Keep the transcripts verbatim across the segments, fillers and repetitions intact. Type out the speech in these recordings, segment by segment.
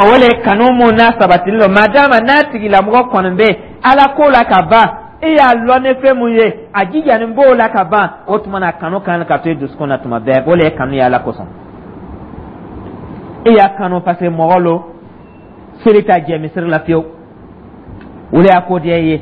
O le kanu mun n'a sabatilen don, madama n'a tigilamɔgɔ kɔni bɛ Ala ko la ka ban, e y'a lɔn ni fɛn mun ye, a jijanin b'o la ka ban, o tuma na kanu kan ka to i dusukun na tuma bɛɛ. O le ye kanu ye Ala kosɔn. E y'a kanu parce que mɔgɔ lo seli t'a jɛ misiri la fiyewu, o de y'a ko diya i ye.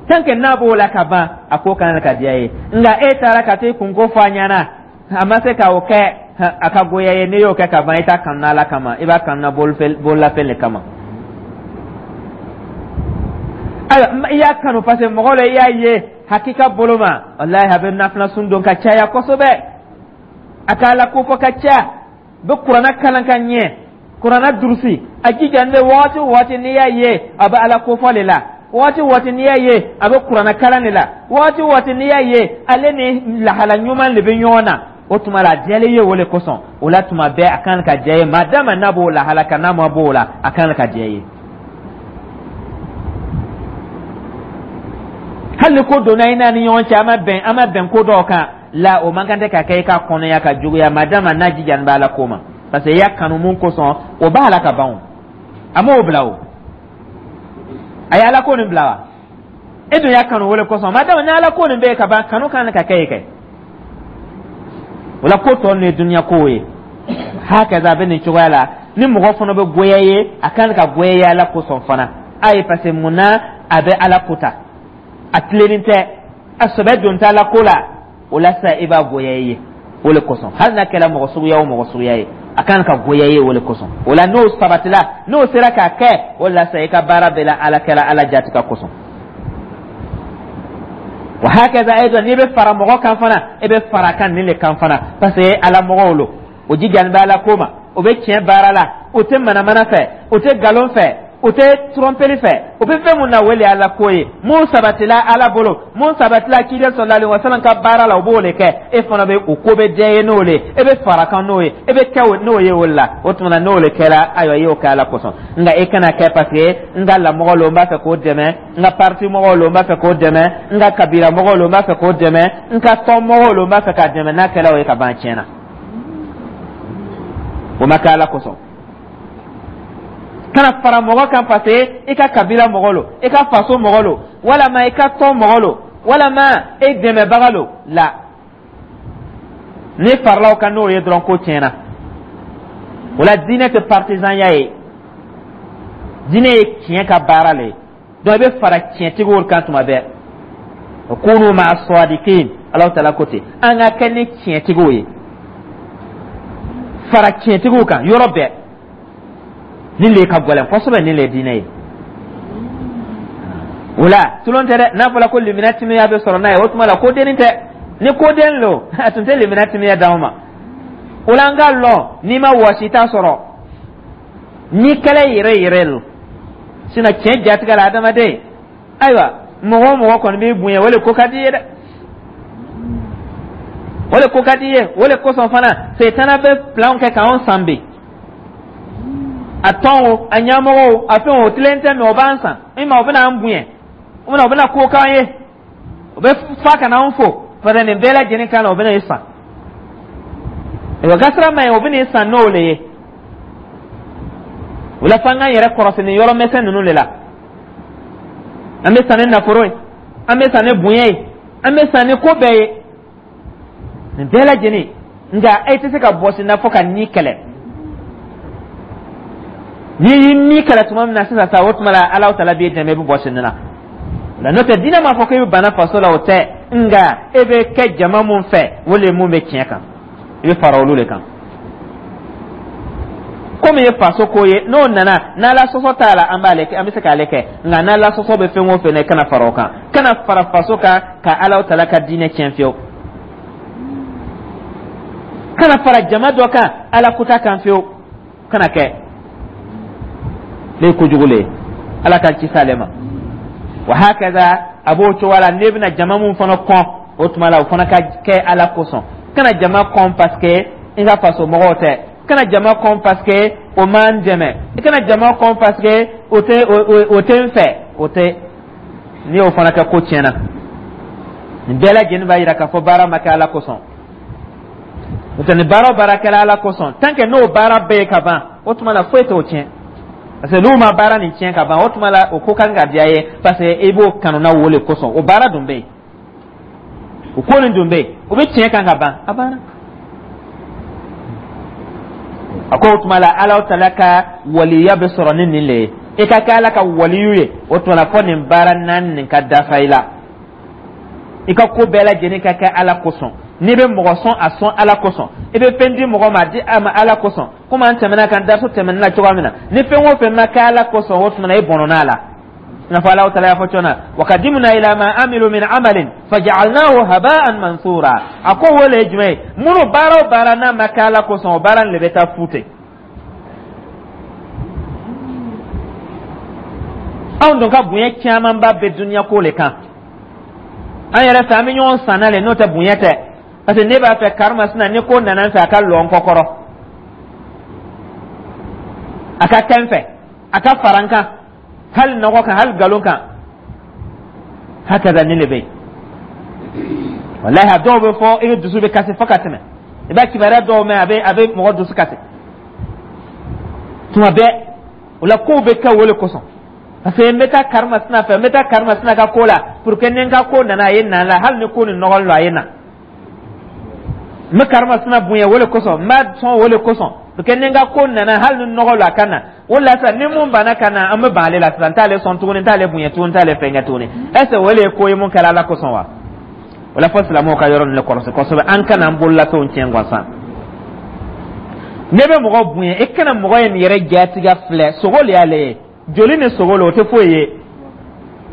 Tant que n'a b'o la ka ban, a ko kan ka diya i ye. Nka e taara ka t'i kunko fɔ a ɲɛna, a ma se ka o kɛ, a ka goya ye. N'i y'o kɛ ka ban, i t'a kanu Ala kama, i b'a kanu na bololafɛn de kama. Ayiwa, i y'a kanu parce que mɔgɔ la, i y'a ye hakika bolo ma, walahi, a bɛ nafila sun don ka caya kosɛbɛ, a ka Ala kofɔ ka caya, bɛ Kuranna kalan ka ɲɛ, Kuranna durusi, a jija n bɛ waati o waati n'i y'a ye, a bɛ Ala kofɔ de la. Waati o waati n'i y'a ye, a bɛ Kuranna kalan de la. Waati o waati n'i y'a ye, ale ni lahala ɲuman de bɛ ɲɔgɔn na. O tuma la, a diyalen ye o de kosɔn. O la, tuma bɛɛ a kan ka diya ye, madama n'a b'o lahala kan. N'a ma b'o la, a kan ka diya ye. Hali ni ko donna i n'a ni ɲɔgɔn cɛ, a ma bɛn, a ma bɛn ko dɔw kan la, o man kan tɛ ka kɛ i ka kɔnɔya ka juguya, madama n'a jijani bɛ Ala ko ma, parce que i y'a kanu mun kosɔn, o b'a la ka ban. O a m'o bila, o a ye Ala ko nin bila wa? E dun y'a kanu o de kosɔn. Madama ni Ala ko nin bɛ yen ka ban, kanu kan ka kɛ yen kɛ. O la, ko tɔ ninnu ye dunuya kow ye. Hakaza, a bɛ nin cogoya la. Ni mɔgɔ fana bɛ goya ye, a kan ka goya ye Ala kosɔn fana. A ye, parce que mun na a bɛ Ala ko ta, a tilennen tɛ, a sɛbɛ don t'a la ko la. O la sisan, i b'a goya i ye o le kosɔn. Hali n'a kɛra mɔgɔ suguya o mɔgɔ suguya ye, a kan ka goya i ye o le kosɔn. O la, n'o sabatila, n'o sera k'a kɛ, o la sisan, i ka baara bɛɛ la, Ala kɛra Ala jati ka kosɔn. Wa hakaza aidan, n'i bɛ fara mɔgɔ kan fana, e bɛ fara kan nin le kan fana, parce que Ala mɔgɔw lo, o jijani bɛ Ala ko ma, o bɛ tiɲɛ baara la, o tɛ manamana fɛ, o tɛ nkalon fɛ, o tɛ trɔnpeli fɛ. O bɛ fɛn mun na, o le Ala ko ye. Mun sabatila Ala bolo, mun sabatila ciden sallallahu alaihi wasallam ka baara la, o b'o de kɛ. E fana bɛ o ko bɛ diya ye n'o le ye, e bɛ fara kan n'o ye, e bɛ kɛ n'o ye. O la, o tuma na, n'o le kɛra, ayiwa, i y'o kɛ Ala kosɔn. Nka e kana kɛ parce que n ka lamɔgɔ lo, n b'a fɛ k'o dɛmɛ, n ka parti mɔgɔw lo, n b'a fɛ k'o dɛmɛ, n ka kabila mɔgɔw lo, n b'a fɛ k'o dɛmɛ, n ka tɔn mɔgɔw lo, n b'a fɛ k'a dɛmɛ. N'a kɛra o ye ka ban, tiɲɛna, o ma kɛ Ala kosɔn. Kana fara mɔgɔ kan parce que i ka kabila mɔgɔ lo, i ka faso mɔgɔ lo, walama i ka tɔn mɔgɔ lo, walama e dɛmɛbaga lo la. Ni farala o kan n'o ye dɔrɔn, ko tiɲɛna. O la, diinɛ tɛ partisanya ye, diinɛ ye tiɲɛ ka baara le ye. Donc i bɛ fara tiɲɛtigiw kan tuma bɛɛ. Kunu ma'a sadiqin, Alahu taala ko ten, an ka kɛ ni tiɲɛtigiw ye. Fara tiɲɛtigiw kan yɔrɔ bɛɛ. Nin le ka gɛlɛn kosɛbɛ, nin le ye diinɛ ye. O la, tulon tɛ dɛ. N'a fɔra ko limina timiya bɛ sɔrɔ n'a ye, o tuma la ko dennin tɛ. Ni ko den lo, a tun tɛ limina timiya d'anw ma. O la, an k'a lɔn, n'i ma wɔsi t'a sɔrɔ ni kɛlɛ yɛrɛ yɛrɛ lo. Sinon, tiɲɛ jatigɛ la, adamaden, ayiwa, mɔgɔ o mɔgɔ kɔni b'i bonya, o le ko ka di i ye dɛ, o le ko ka di i ye. O le kosɔn fana, setana bɛ plan kɛ k'anw san bi. A tɔn o, a ɲɛmɔgɔw, a fɛn o, tilen tɛ mɛ, o b'an san i ma, o bɛna an bonya, o bɛna o bɛna ko k'an ye, o bɛ fa ka n'an fo fɛnɛ. Nin bɛɛ lajɛlen kan na, o bɛna i san. Ayiwa, gasira ma ye, o bɛna i san n'o le ye. O la, f'an k'an yɛrɛ kɔrɔsi nin yɔrɔ misɛn ninnu de la. An bɛ san ni nafolo ye, an bɛ san ni bonya ye, an bɛ san ni ko bɛɛ ye, nin bɛɛ lajɛlen. Nka e tɛ se ka bɔsi n'a fɔ ka ni kɛlɛ. N'i y'i ni kɛlɛ tuma min na sisan sa, o tuma la, Alahu taala b'i dɛmɛ, i bɛ bɔsi nin na. La n'o tɛ, diinɛ m'a fɔ k'e bɛ bana faso la, o tɛ. Nka e bɛ kɛ jama mun fɛ, o de ye mun bɛ tiɲɛ kan, i bɛ fara olu de kan. Komi ye faso ko ye, n'o nana n'Ala sɔsɔ t'a la, an b'ale kɛ, an bɛ se k'ale kɛ. Nka n'Ala sɔsɔ bɛ fɛn o fɛn na, i kana fara o kan. Kana fara faso kan ka Alahu taala ka diinɛ tiɲɛ fiyewu. Kana fara jama dɔ kan Ala kuta kan fiyewu, kana kɛ. Ne ye kojugu le ye, Ala ka ci s'ale ma. Wa hakaza, a b'o cogoya la. N'e bɛna jama mun fana kɔn, o tuma la, o fana ka kɛ Ala kosɔn. Kana jama kɔn parce que i ka faso mɔgɔw tɛ. Kana jama kɔn parce que o m'an dɛmɛ. I kana jama kɔn parce que o tɛ o tɛ n fɛ, o tɛ. N'i y'o fana kɛ, ko tiɲɛna. Nin bɛɛ lajɛlen b'a yira k'a fɔ baara ma kɛ Ala kosɔn. N'o tɛ, ni baara o baara kɛra Ala kosɔn, tant que n'o baara bɛɛ ye ka ban, o tuma na, foyi t'o tiɲɛ. Parce que n'u ma baara nin tiɲɛ ka ban, o tuma la o ko kan ka diya ye, parce que i b'o kanu na wo le kosɔn. O baara dun bɛ yen, o ko nin dun bɛ yen, o bɛ tiɲɛ kan ka ban, a banna. A ko o tuma la Alahu Taala ka waliya bɛ sɔrɔ ni nin le ye. I ka kɛ Ala ka waliyu ye, o tuma la fɔ nin baara naani nin ka dafa i la. I ka ko bɛɛ lajɛlen ka kɛ Ala kosɔn. N'i bɛ mɔgɔ sɔn, a sɔn Ala kosɔn. I bɛ fɛn di mɔgɔ ma, a di a ma Ala kosɔn. Komi an tɛmɛna kan dariso tɛmɛnen na cogoya min na, ni fɛn o fɛn ma kɛ Ala kosɔn, o tuma na i bɔnɔna la. I n'a fɔ Alahu Taala y'a fɔ cogo min na: wa qadimna ila ma amilu min amalin faja'alnahu haba'an mansura. A ko o le ye jumɛn ye? Minnu baara o baara n'a ma kɛ Ala kosɔn, o baara nin de bɛ taa fu ten. Anw dun ka bonya camanba bɛ duniya ko le kan. An yɛrɛ fɛ, an bɛ ɲɔgɔn sanna le, n'o tɛ bonya tɛ. Parce que ne b'a fɛ karimasina ni ko nana n fɛ, a ka lɔ n kɔkɔrɔ, a ka kɛ n fɛ, a ka fara n kan, hali nɔgɔ kan, hali nkalon kan. Hakaza nin de bɛ yen. Walahi, a dɔw bɛ fɔ, i bɛ dusu bɛ kasi fo ka tɛmɛ. I b'a kibaruya dɔw mɛn, a bɛ a bɛ mɔgɔ dusu kasi tuma bɛɛ. O la kow bɛ kɛ o de kosɔn, parce que n bɛ taa karimasina fɛ, n bɛ taa karimasina ka ko la, pour que ni n ka ko nana, a ye na la, hali ni ko nin nɔgɔlen don, a ye na. N bɛ karimasina bonya o de kosɔn, n b'a sɔn o de kosɔn, pour que ni n ka ko nana, hali ni nɔgɔ don, a ka na. O la sisan, ni mun banna ka na, an bɛ ban ale la sisan, n t'ale sɔn tuguni, n t'ale bonya tuguni, n t'ale fɛn kɛ tuguni. Est ce que o de ye ko ye mun kɛra Ala kosɔn wa? O la fɔ silamɛw ka yɔrɔ ninnu kɔlɔsi kosɛbɛ, an kana an bololafɛnw tiɲɛ gansan. Ne bɛ mɔgɔ bonya, i kana mɔgɔ ye nin yɛrɛ jatigɛ filɛ, sogo le y'ale ye, joli ni sogo le, o tɛ foyi ye.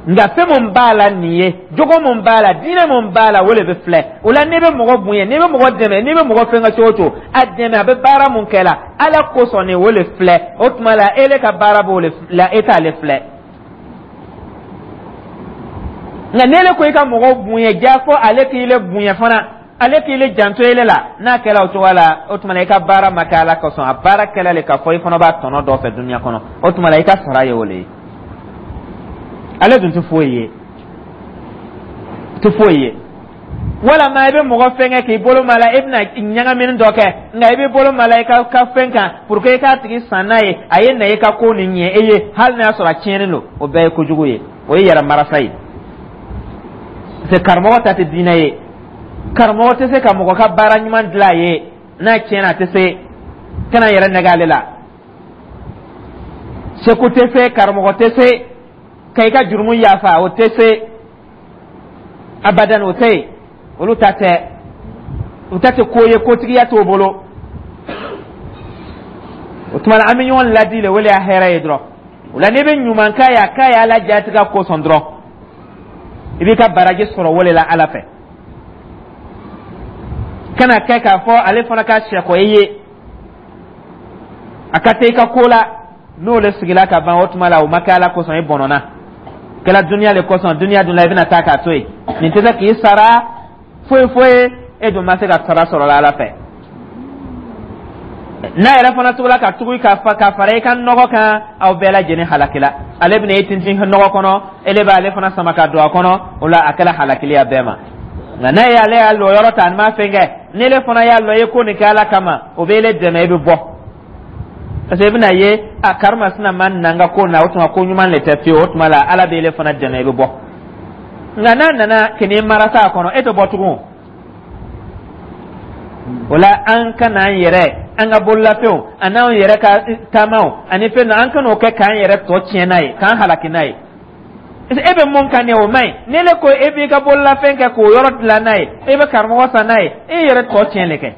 Nka fɛn mun b'a la nin ye, jogo mun b'a la, diinɛ mun b'a la, o de bɛ filɛ. O la n'i bɛ mɔgɔ bonya, n'i bɛ mɔgɔ dɛmɛ, n'i bɛ mɔgɔ fɛn kɛ cogo o cogo, a dɛmɛ, a bɛ baara mun kɛ la Ala kosɔn nin, o de filɛ. O tuma la ele ka baara b'o de la, e t'ale filɛ. Nka n'ele ko i ka mɔgɔ bonya, ja fɔ ale k'i le bonya fana, ale k'i le janto ele la, n'a kɛra o cogoya la, o tuma la i ka baara ma kɛ Ala kosɔn. A baara kɛla le k'a fɔ i fana b'a tɔnɔ dɔ fɛ dunuya kɔnɔ, o tuma la i ka sara ye o le ye. Ale dun tɛ foyi ye, tɛ foyi ye. Walama i bɛ mɔgɔ fɛn kɛ k'i bolo ma la, i bɛna ɲagamini dɔ kɛ, nka i bɛ bolo ma la i ka ka fɛn kan pour que i k'a tigi san n'a ye, a ye na i ka ko nin ɲɛ e ye, hali n'a y'a sɔrɔ a tiɲɛnen don. O bɛɛ ye kojugu ye, o ye yɛrɛ marasa ye. Parce que karamɔgɔ ta tɛ diinɛ ye. Karamɔgɔ tɛ se ka mɔgɔ ka baara ɲuman dilan a ye n'a tiɲɛna, a tɛ se kana yɛrɛ nɛgɛ ale la. Seko tɛ se, karamɔgɔ tɛ se ka i ka jurumu yafa, o tɛ se abadan, o tɛ yen. Olu ta tɛ, u ta tɛ ko ye, kotigiya t'o bolo. O tuma na an bɛ ɲɔgɔn ladi le, o de y'a hɛrɛ ye dɔrɔn. O la n'i bɛ ɲuman k'a ye, a k'a ye Ala jatigɛ kosɔn dɔrɔn, i b'i ka baraji sɔrɔ o de la Ala fɛ. Kana kɛ k'a fɔ ale fana ka sɛkɔ i ye, a ka taa i ka ko la, n'o le sigila ka ban, o tuma la o ma kɛ Ala kosɔn, i bɔnɔna kɛla duniya le kosɔn. Duniya dun la, i bɛna taa k'a to yen, nin tɛ se k'i sara foyi foyi, e dun ma se ka sara sɔrɔ la Ala fɛ. N'a yɛrɛ fana tugula ka tugu ka fa ka fara i ka nɔgɔ kan, aw bɛɛ lajɛlen halakila. Ale bɛna i tintin nɔgɔ kɔnɔ, ele b'ale fana sama ka don a kɔnɔ. O la a kɛla halakili a bɛɛ ma. Nka n'a ye ale y'a lɔ yɔrɔ ta, a ma fɛn kɛ, n'ele fana y'a lɔ i ye ko nin kɛ Ala kama, o bɛ ele dɛmɛ, i bɛ bɔ. Parce que i bɛna ye a karimasina ma na n ka ko na, o tuma ko ɲuman le tɛ fiyewu. O tuma la Ala bɛ ele fana dɛmɛ, i bɛ bɔ. Nka n'a nana k'i marasa a kɔnɔ, e tɛ bɔ tugun. O la an ka n'an yɛrɛ, an ka bololafɛnw ani anw yɛrɛ ka taamaw ani fɛn dɔ, an kan'o kɛ k'an yɛrɛ tɔ tiɲɛ n'a ye, k'an halaki n'a ye. E bɛ mun kan nin ye, o man ɲi. Ni ne ko e b'i ka bololafɛn kɛ k'o yɔrɔ dilan n'a ye, e bɛ karamɔgɔ san n'a ye, e yɛrɛ tɔ tiɲɛ de kɛ.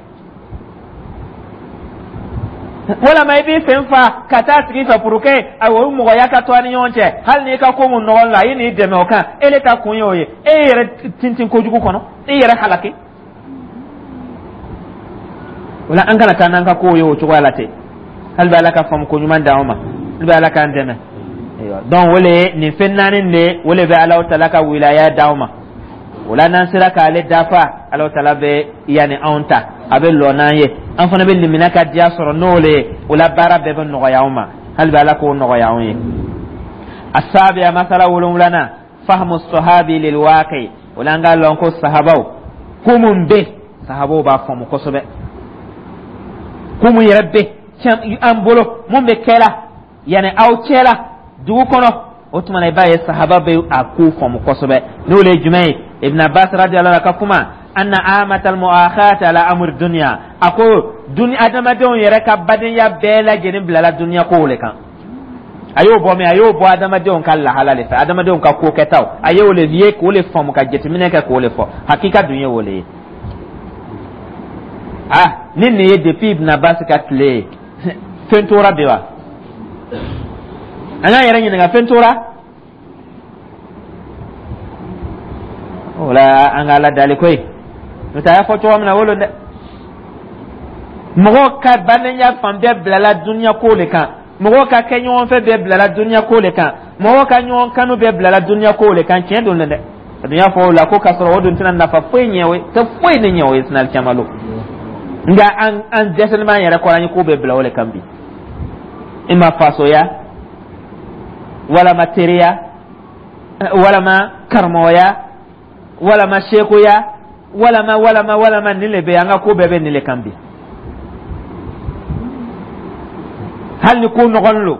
Walama i b'i sen fa ka taa tigi fɛ pour que o mɔgɔya ka to a ni ɲɔgɔn cɛ, hali n'i ka ko mun nɔgɔn la, a ye n'i dɛmɛ o kan, e le ta kun ye o ye, e yɛrɛ tintin kojugu kɔnɔ, e yɛrɛ halaki. O la an kana taa n'an ka kow ye o cogoya la ten. Hali bɛ Ala ka faamu ko ɲuman d'anw ma, hali bɛ Ala k'an dɛmɛ. Donc o le nin fɛn naani de, o le bɛ Alahu Taala ka wilaya d'anw ma. O la n'an sera k'ale dafa, Alahu Taala bɛ yanni anw ta, a bɛ lɔ n'an ye, an fana bɛ limina ka diya sɔrɔ n'o le ye. O la baara bɛɛ bɛ nɔgɔya anw ma. Hali bɛ Ala k'o nɔgɔya anw ye. Asabiya, masala wolonwulanan: fahamu sahabi lil waqi. O la an k'a lɔn ko sahabaw, ko mun bɛ sahabaw b'a faamu kosɛbɛ, ko mun yɛrɛ bɛ an bolo, mun bɛ kɛla. Yani aw cɛla dugu kɔnɔ, o tuma na i b'a ye sahaba bɛ a ko faamu kosɛbɛ. N'o le ye jumɛn ye? Ibn Abbas radiyallahu anhu ka kuma anna amatal mu'akhat ala amr dunya, a ko duni adamadenw yɛrɛ ka badenya bɛɛ lajɛlen bilala duniya kow le kan. A y'o bɔ min? A y'o bɔ adamadenw ka lahala le fɛ, adamadenw ka ko kɛtaw. A y'o le ye k'o le faamu, ka jateminɛ kɛ k'o le fɔ. Hakika dun ye o le ye. Ah, ni nin ye depuis Ibn Abbas ka tile ye, fɛn tora bi wa? An k'an yɛrɛ ɲininka, fɛn tora o la? An ka Ala dali koyi, n'o tɛ a y'a fɔ cogo min na, o lo dɛ. Mɔgɔw ka badenya fan bɛɛ bilala duniya ko le kan, mɔgɔw ka kɛ ɲɔgɔn fɛ bɛɛ bilala duniya ko le kan, mɔgɔw ka ɲɔgɔn kanu bɛɛ bilala duniya ko le kan. Tiɲɛ don dɛ. A dun y'a fɔ o la ko k'a sɔrɔ o dun tɛna nafa foyi ɲɛ o ye, tɛ foyi de ɲɛ o ye sinali caman lo. Nka an an dɛsɛlen b'an yɛrɛ kɔrɔ, an ye ko bɛɛ bila o le kan bi. I ma fasoya, walama teriya, walama karamɔgɔya, walama sekuya, walama walama walama, nin le bɛ an ka ko bɛɛ bɛ nin le kan bi. Hali ni ko nɔgɔn lo,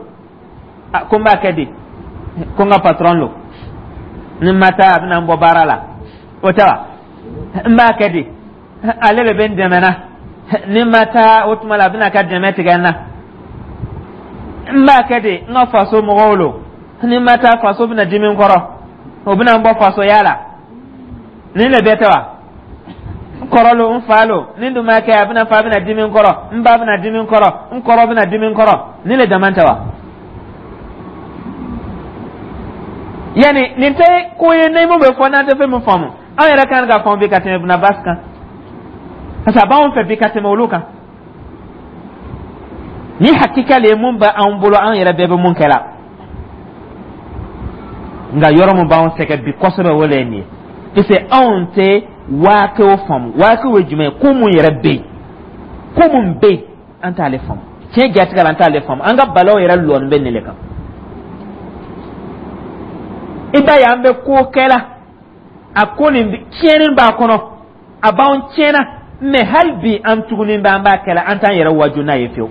ko n b'a kɛ di, ko n ka patron lo, ni n ma taa a bɛna n bɔ baara la, o tɛ wa? N b'a kɛ di, ale de bɛ n dɛmɛ na, ni n ma taa o tuma la a bɛna ka dɛmɛ tigɛ n na. N b'a kɛ di, n ka faso mɔgɔw lo, ni n ma taa faso bɛna dimi n kɔrɔ, o bɛna n bɔ fasoya la. Nin le bɛɛ tɛ wa? N kɔrɔ lo, n fa lo, ni n dun m'a kɛ a bɛna fa bɛna dimi n kɔrɔ, n ba bɛna dimi n kɔrɔ, n kɔrɔ bɛna dimi n kɔrɔ. Nin le dama tɛ wa? Yani nin tɛ ko ye ni mun bɛ fɔ n'an tɛ fɛn min faamu. An yɛrɛ kan ka faamu bi ka tɛmɛ Ibn Abbas kan, parce que a b'anw fɛ bi ka tɛmɛ olu kan. Ni hakika le ye mun bɛ anw bolo, an yɛrɛ bɛɛ bɛ mun kɛ la. Nka yɔrɔ mun b'anw sɛgɛn bi kosɛbɛ, o le ye nin ye, parce que anw tɛ waakew faamu. Waakew ye jumɛn ye? Ko mun yɛrɛ bɛ yen, ko mun bɛ yen, an t'ale faamu. Tiɲɛ jatigɛ la, an t'ale faamu. An ka balaw yɛrɛ lɔni bɛ nin le kan. I b'a ye an bɛ ko kɛ la, a ko nin tiɲɛni b'a kɔnɔ, a b'anw tiɲɛna, mɛ hali bi an tugunin bɛ an b'a kɛ la, an t'an yɛrɛ waju n'a ye fiyewu.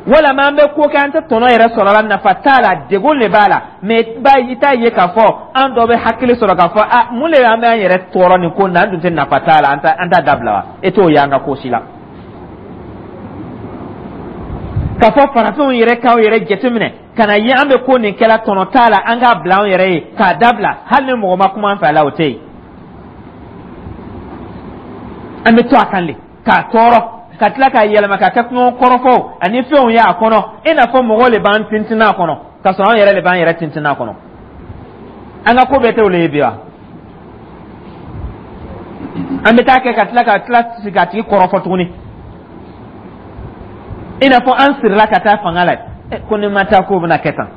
Walama an bɛ ko kɛ, an tɛ tɔnɔ yɛrɛ sɔrɔ a la, nafa t'a la, degun de b'a la, mɛ ba i t'a ye k'a fɔ an dɔ bɛ hakili sɔrɔ k'a fɔ a mun de an bɛ an yɛrɛ tɔɔrɔ nin ko in na, an dun tɛ nafa t'a la, an t'a an t'a dabila wa? E t'o ye an ka ko si la. K'a fɔ farafinw yɛrɛ k'aw yɛrɛ jateminɛ ka na ye an bɛ ko nin kɛla, tɔnɔ t'a la, an k'a bila anw yɛrɛ ye k'a dabila, hali ni mɔgɔ ma kuma an fɛ a la, o tɛ yen. An bɛ to a kan de k'a tɔɔrɔ, ka tila k'a yɛlɛma ka kɛ kungo kɔrɔfɔw ani fɛnw ye a kɔnɔ, i n'a fɔ mɔgɔw de b'an tintin a kɔnɔ, k'a sɔrɔ an yɛrɛ de b'an yɛrɛ tintin a kɔnɔ. An ka ko bɛɛ tɛ olu ye bi wa? An bɛ taa kɛ ka tila ka tila sigi k'a tigi kɔrɔfɔ tuguni, i n'a fɔ an sirila ka taa fanga la, ko ni ma taa k'o bɛna kɛ tan.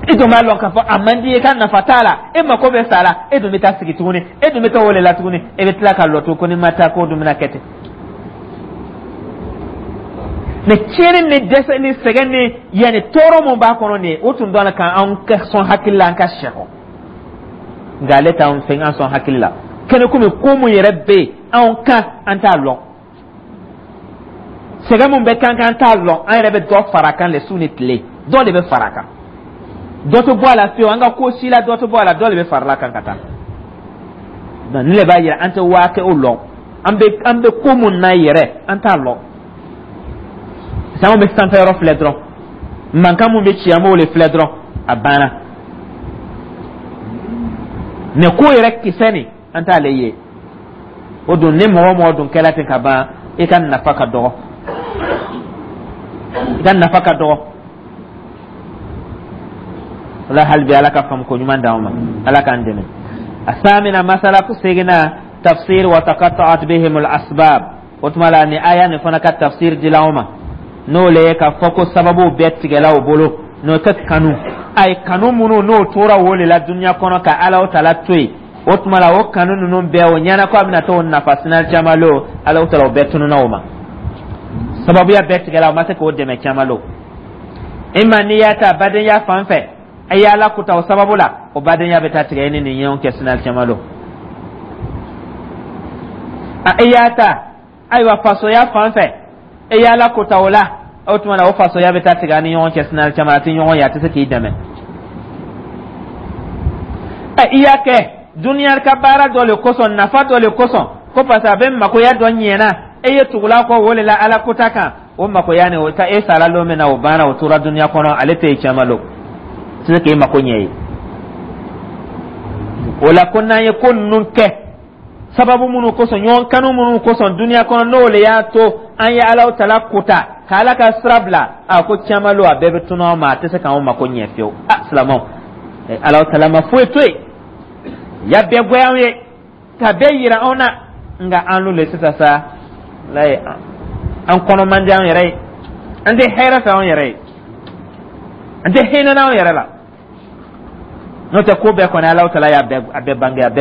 E dun b'a lɔn k'a fɔ a man di ye, ka nafa t'a la, e mako bɛ sa la, e dun bɛ taa sigi tuguni, e dun bɛ taa o de la tuguni, e bɛ tila ka lɔ to ko ni ma taa k'o dun bɛna kɛ ten. Mɛ tiɲɛni ni dɛsɛ ni sɛgɛn ni yanni tɔɔrɔ mun b'a kɔnɔ nin ye, o tun dɔn k'an sɔn hakili la, an ka sɛkɔ. Nka ale t'anw fɛ an sɔn hakili la kɛnɛ, komi ko mun yɛrɛ bɛ yen anw kan, an t'a lɔn. Sɛgɛn mun bɛ kan kan, an t'a lɔn. An yɛrɛ bɛ dɔ fara a kan le su ni tile, dɔ de bɛ fara a kan, dɔ tɛ bɔ a la fiyewu. An ka ko si la, dɔ tɛ bɔ a la, dɔ de bɛ fara a kan ka taa. Donc nin de b'a yira an tɛ waakew lɔn. an bɛ an bɛ ko mun na yɛrɛ, an t'a lɔn. Anw bɛ sanfɛ yɔrɔ filɛ dɔrɔn, mankan mun bɛ ci, an b'o de filɛ dɔrɔn, a banna. Mɛ ko yɛrɛ kisɛ nin, an t'ale ye. O dun, ni mɔgɔ mɔgɔ dun kɛla ten ka ban, i ka nafa ka dɔgɔ, i ka nafa ka dɔgɔ. O la hali bi, Ala ka faamu ko ɲuman d'anw ma, Ala k'an dɛmɛ. Asamina masala ko seginna tafsir wa taqatta'at bihim al asbab. O tuma la, ni aya nin fana ka tafsir dila anw ma, n'o le ye k'a fɔ ko sababuw bɛɛ tigɛla o bolo, n'o tɛ kanu. A ye kanu minnu n'o tora o de la dunuya kɔnɔ ka Ala tala to yen, o tuma la o kanu ninnu bɛɛ, o ɲɛna ko a bɛna t'o nafa sinali caman lo, Ala tala o bɛɛ tununa o ma. Sababuya bɛɛ tigɛla, o ma se k'o dɛmɛ caman lo. I ma n'i y'a ta badenya fan fɛ, a ye Ala kuta o sababu la, o badenya bɛ taa tigɛ i ni nin ɲɔgɔn cɛ sinali caman lo. A i y'a ta ayiwa fasoya fan fɛ, e y'Ala kota o la, O tuma na, o fasoya bɛ taa tigɛ an ni ɲɔgɔn cɛ. Sinali caman a tɛ ɲɔgɔn ye, a tɛ se k'i dɛmɛ. Ɛ, i y'a kɛ duniya ka baara dɔ le kosɔn, nafa dɔ le kosɔn, ko parce que a bɛ makoya dɔ ɲɛna, e ye tugula kɔ o de la. Ala kota kan, o makoya nin, o ta e sara lon min na, o banna, o tora duniya kɔnɔ, ale tɛ yen. Caman lo tɛ se k'e mako ɲɛ ye o la. Ko n'an ye ko ninnu kɛ sababu minnu kosɔn, ɲɔgɔn kanu minnu kosɔn duniya kɔnɔ, n'o le y'a to an ye Alaw tala kota ka Ala ka sira bila, a ko caman lo, a bɛɛ bɛ tunu an ma, a tɛ se k'anw mako ɲɛ fiyewu. A silamɛw, Alaw tala ma foyi to yen, ya bɛɛ goya anw ye ka bɛɛ yira anw na. Nka an lu le sisan sa, layi, an kɔnɔ man di an yɛrɛ ye, an tɛ hɛrɛ fɛ anw yɛrɛ ye, an tɛ hinɛ n'anw yɛrɛ la. N'o tɛ, ko bɛɛ kɔni, Alaw tala y'a bɛɛ, a bɛɛ bange, a bɛɛ.